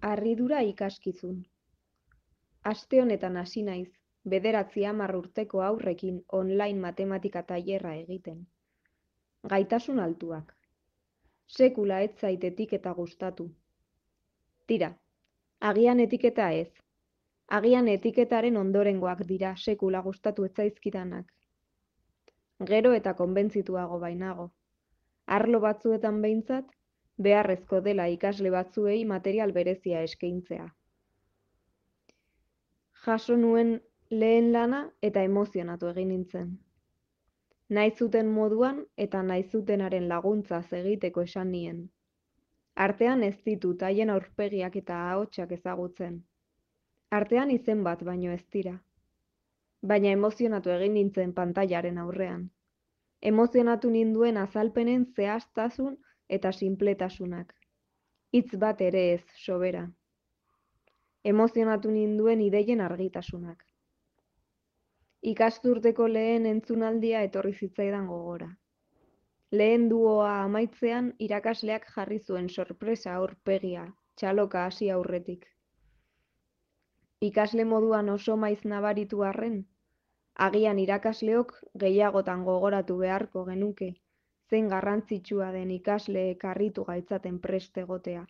Harridura ikaskizun. Aste honetan hasi naiz, 9-10 urteko haurrekin online matematika tailerra egiten. Gaitasun altuak. Sekula ez zait etiketa gustatu. Tira, agian etiketa ez. Agian etiketaren ondorengoak dira sekula gustatu ez zaizkidanak. Gero eta konbentzituago bainago. Arlo batzuetan behintzat, beharrezko dela ikasle batzuei material berezia eskaintzea. Jaso nuen lehen lana eta emozionatu egin nintzen. Nahi zuten moduan eta nahi zutenaren laguntzaz egiteko esan nien. Artean ez ditut haien aurpegiak eta ahotsak ezagutzen. Artean izen bat baino ez dira. Baina emozionatu egin nintzen pantailaren aurrean. Emozionatu ninduen azalpenen zehaztasun eta sinpletasunak. Hitz bat ere ez sobera. Emozionatu ninduen ideien argitasunak. Ikasturteko lehen entzunaldia etorri zitzaidan gogora. Lehen duoa amaitzean irakasleak jarri zuen sorpresa aurpegia, txaloka hasi aurretik. Ikasle moduan oso maiz nabaritu arren, agian irakasleok gehiagotan gogoratu beharko genuke, zein garrantzitsua den ikasleek harritu gaitzaten prest egotea.